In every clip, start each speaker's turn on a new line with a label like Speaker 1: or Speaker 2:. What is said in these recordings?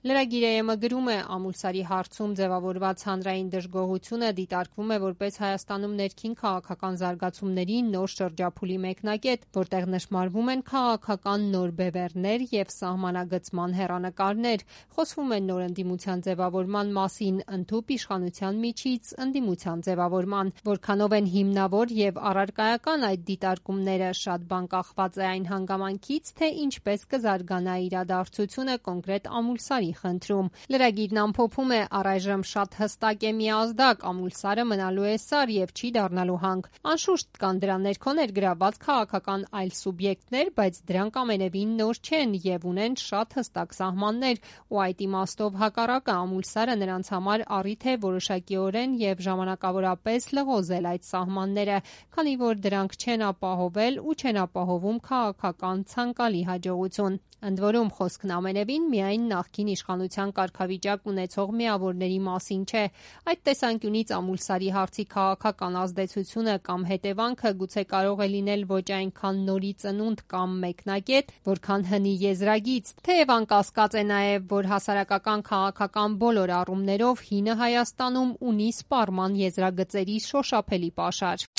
Speaker 1: Լրագիր գրում է, Ամուլսարի հարցում ձևավորված հանրային դժգոհությունը դիտարկվում է որպես Հայաստանում ներքին քաղաքական զարգացումների նոր շրջափուլի մեկնակետ, որտեղ նշմարվում են քաղաքական նոր բևեռներ և սահմանագծման հեռանկարներ, խոսվում է նոր ընդդիմության ձևավորման մասին, ընդհուպ իշխանության միջից ընդդիմության ձևավորման, որքանով են հիմնավոր և առարկայական այդ դիտարկումները, շատ բան կախված է այն հանգամանքից, թե ինչպես կզարգանա իրադարձությունը կոնկրետ Ամուլսարի խնդրում։ Լրագիրն ամփոփում է, առայժմ շատ հստակ է մի ազդակ, Ամուլսարը մնալու է սար և չի դառնալու հանք։ Անշուշտ կան դրա ներքո ներգրավված քաղաքական այլ սուբյեկտներ, բայց դրանք ամենևին նոր չեն և ունեն շատ հստակ սահմաններ, ու այդ իմաստով հակառակը Ամուլսարը նրանց համար առիթ է որոշակիորեն և ժամանակավորապես լղոզել այդ սահմանները, քանի որ դրանք չեն ապահովել ու չեն ապահովում քաղաքական ցանկալի հաջողություն։ Ընդ որում, խոսքն ամենևին միայն նախկին իշխանության կարգավիճակ ունեցող միավորների մասին չէ։ Այդ տեսանկյունից Ամուլսարի հարցի քաղաքական ազդեցությունը կամ հետևանքը գուցե կարող է լինել ոչ այնքան նորի ծնունդ կամ մեկնակետ, որքան հնի եզրագիծ, թեև անկասկած է նաև, որ հասարակական քաղաքական բոլոր առումներով հինը Հայաստանում ունի սպառման եզրագծերի շոշափելի պաշար։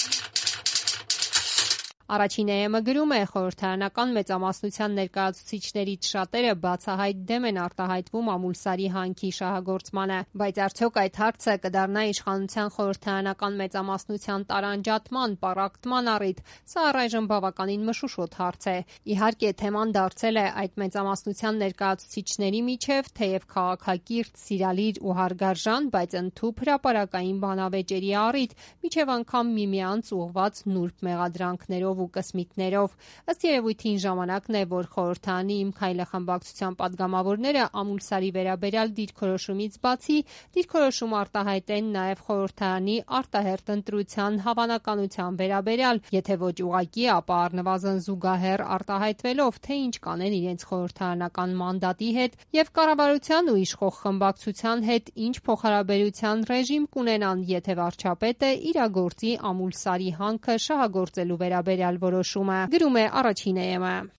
Speaker 1: Առաջին ԵՄ գրում է, խորհրդարանական մեծամասնության ներկայացուցիչներից շատերը բացահայտ դեմ են արտահայտվում Ամուլսարի հանքի շահագործմանը, բայց արդյոք այդ հարցը կդառնա իշխանության խորհրդարանական մեծամասնության տարանջատման, պառակտման առիթ, սա առայժմ բավականին մշուշոտ հարց է։ Իհարկե, թեման դարձել է այդ մեծամասնության ներկայացուցիչների միջև, թեև քաղաքակիրթ, սիրալիր ու հարգարժան, բայց ընդհուպ հրապարակային բանավեճերի առիթ, մինչև անգամ միմյանց ուղղված նուրբ մեղադրանքներով ու կսմիկներով։ Ըստ երևույթին ժամանակն է, որ խորհրդարանի Իմ քայլը խմբակցության падգամավորները Ամուլսարի վերաբերյալ դիրքորոշումից բացի դիրքորոշում արտահայտեն նաև խորհրդարանի արտահերթ ընտրության հավանականության վերաբերյալ, եթե ոչ ուղղակի, ապա առնվազն զուգահեռ արտահայտվելով, թե ինչ կանեն իրենց խորհրդարանական մանդատի հետ և կառավարության ու իշխող խմբակցության հետ ինչ փոխհարաբերության ռեժիմ կունենան, եթե վարչապետը իրագործի Ամուլսարի հանքը շահագործելու վերաբերյալ որոշումը, գրում է առաջին ԵՄ։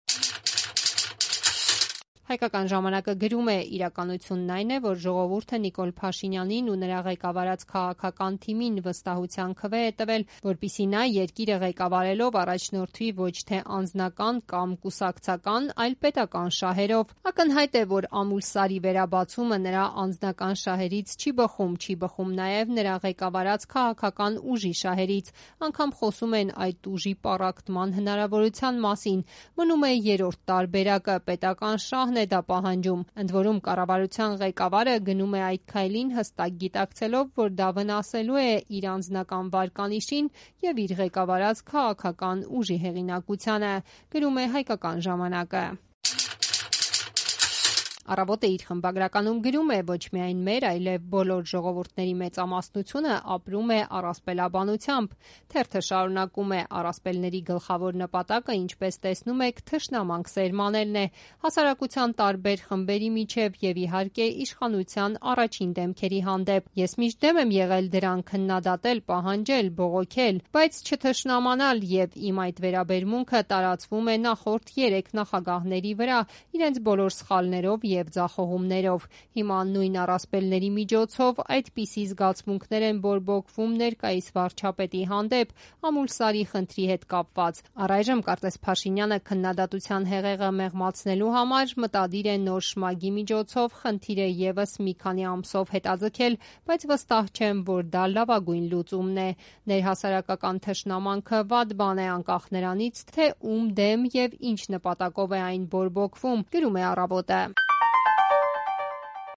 Speaker 1: Հայկական ժամանակը գրում է, իրականությունն այն է, որ ժողովուրդը Նիկոլ Փաշինյանին ու նրա ղեկավարած քաղաքական թիմին վստահության քվե է տվել, որպեսզի նա երկիրը ղեկավարելով առաջնորդվի ոչ թե անձնական կամ կուսակցական, այլ պետական շահերով։ Ակնհայտ է, որ Ամուլսարի վերաբացումը նրա անձնական շահերից չի բխում նաև նրա ղեկավարած քաղաքական ուժի շահերից, անգամ խոսում են այդ ուժի պառակտման հնարավորության մասին։ Մնում է երրորդ տարբերակը՝ պետական շահն է դա պահանջում։ Ընդ որում, կառավարության ղեկավարը գնում է այդ քայլին հստակ գիտակցելով, որ դա վնասելու է իր անձնական վարկանիշին և իր ղեկավարած քաղաքական ուժի հեղինակությանը, գրում է Հայկական ժամանակը։ Առավոտը իր խմբագրականում գրում է, ոչ միայն մեր, այլև բոլոր ժողովուրդների մեծամասնությունը ապրում է առասպելաբանությամբ։ Թերթը շարունակում է, առասպելների գլխավոր նպատակը, ինչպես տեսնում եք, թշնամանք սերմանելն է հասարակության տարբեր խմբերի միջև և իհարկե իշխանության առաջին դեմքերի հանդեպ։ Ես միշտ դեմ եմ եղել դրան քննադատել, պահանջել, բողոքել, բայց չթշնամանալ, և իմ այդ վերաբերմունքը տարածվում է նախորդ 3 նախագահների վրա, իրենց բոլոր սխալներով և ձախողումներով։ Հիմա նույն առասպելների միջոցով այդպիսի զգացմունքներ են բորբոքվում ներկայիս վարչապետի հանդեպ Ամուլսարի խնդրի հետ կապված։ Առայժմ կարծես Փաշինյանը քննադատության հեղեղը մեղմացնելու համար մտադիր է նոր շմագի միջոցով խնդիրը ևս մի քանի ամսով հետաձգել, բայց վստահ չեմ, որ դա լավագույն լուծումն է։ Ներհասարակական թշնամանքը վատ բան է, անկախ նրանից, թե ում դեմ և ինչ նպատակով է այն բորբոքվում, գրում է Առավոտը։